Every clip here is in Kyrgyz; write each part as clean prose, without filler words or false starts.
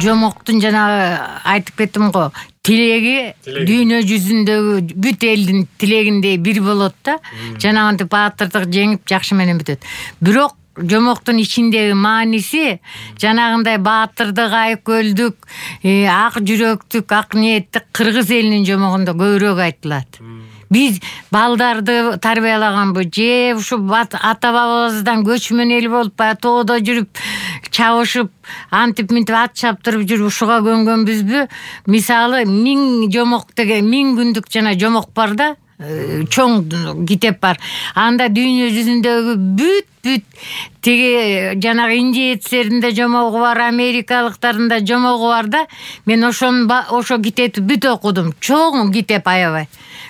жомоктун жанагы айтып кеттим го, тилеги дүйнө жүзүндөгү бүт элдин тилегиндей бир болот да. Жанагынтип баатырдык жеңип жакшы менен бүтөт. Бирок жомоктун ичиндеги мааниси жанагындай баатырдык, айкөлдүк, ак жүрөктүк, ак ниеттик кыргыз элинин жомогунда көбүрөөк айтылат. Биз балдарды тарбиялаганбы же ушу ата-бабабыздан көчмөн эл болуп баягы тоодо жүрүп чабышып, антип мынтип ат чаптырып жүрүп ушуга көнгөнбүзбү? Мисалы 1000 жомок деген 1000 күндүк жана жомок бар да, чоң китеп бар. Анда дүйнө жүзүндөгү бүт тиги жанагы индеецтеринде жомогу бар, америкалыктардын да жомогу бар да. Мен ошо китепти бүт окудум. Чоң китеп аябай.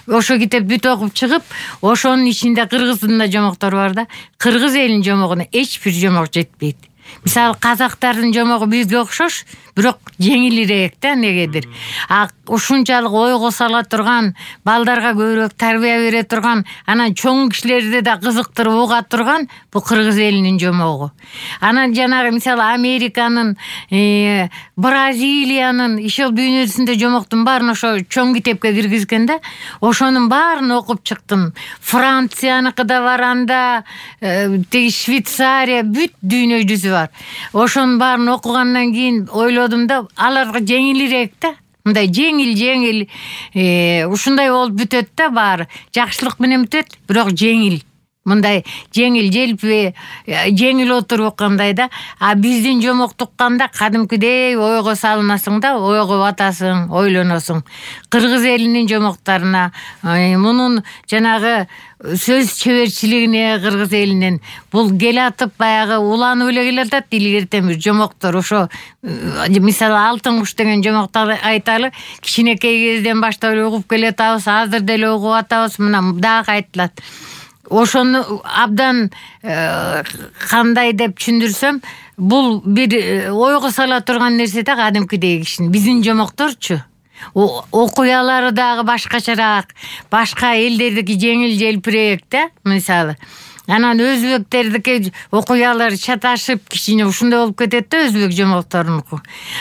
Ошо китеп бүт окуп чыгып, ошонун ичинде кыргыздын да жомоктору бар да. Кыргыз элинин жомогуна эч бир жомок жетпейт. Мисалы казактардын жомогу бизге окшош, бирок жеңилирээк да негедир. Ушунчалык ойго сала турган, балдарга көбүрөөк тарбия бере турган, анан чоң кишилерди да кызыктырып уга турган бул кыргыз элинин жомогу. Анан жанагы мисалы Американын, Бразилиянын, ишол дүйнө жүзүндө жомоктун баарын ошо чоң китепке киргизген да. Ошонун баарын окуп чыктым. Францияныкы да бар анда, тиги Швейцария, бүт дүйнө жүзү бар. Ошонун баарын окугандан кийин ойлодум да, аларга жеңилирээк да. Мындай жеңил, ушундай болуп бүтөт да баары. Жакшылык менен бүтөт, бирок жеңил. Мындай жеңил, желпи, жеңил отуруп оккандай да. Биздин жомокту укканда кадимкидей ойго салынасың да, ойго батасың, ойлоносуң. Кыргыз элинин жомокторуна, мунун жанагы сөз чеберчилигине кыргыз элинин бул келатып баягы уланып эле келатат. Илгертен бир жомоктор ошо мисалы Алтын куш деген жомокту айталы, кичинекей кезден баштап эле угуп келатабыз, азыр деле угуп атабыз, мына дагы айтылат. Ошону абдан кандай деп түшүндүрсөм, бул бир ойго сала турган нерсе да кадимкидей кишинин. Биздин жомокторчу окуялары дагы башкачараак, башка элдердики жеңил желпирээк да, мисалы. Анан өзбектердики окуялары чаташып кичине ушундай болуп кетет да, өзбек жомокторунуку.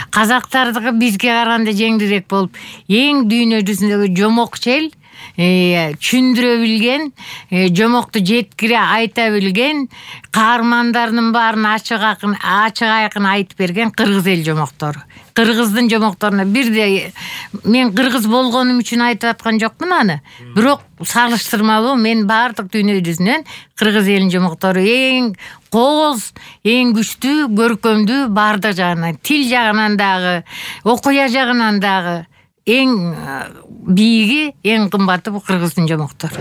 Казактардыгы бизге караганда жеңилирээк болуп, эң дүйнө жүзүндөгү жомокчу эл, түшүндүрө билген, жомокту жеткире айта билген, каармандардын баарын ачык айкын айтып берген кыргыз эл жомоктору. Кыргыздын жомокторуна бирдей, мен кыргыз болгонум үчүн айтып аткан жокмун аны. Бирок салыштырмалуу мен баардык дүйнө жүзүнөн кыргыз элинин жомоктору эң кооз, эң күчтүү, көркөмдүү баардык жагынан, тил жагынан дагы, окуя жагынан дагы эң бийиги, эң кымбаты бул кыргыздын жомоктору.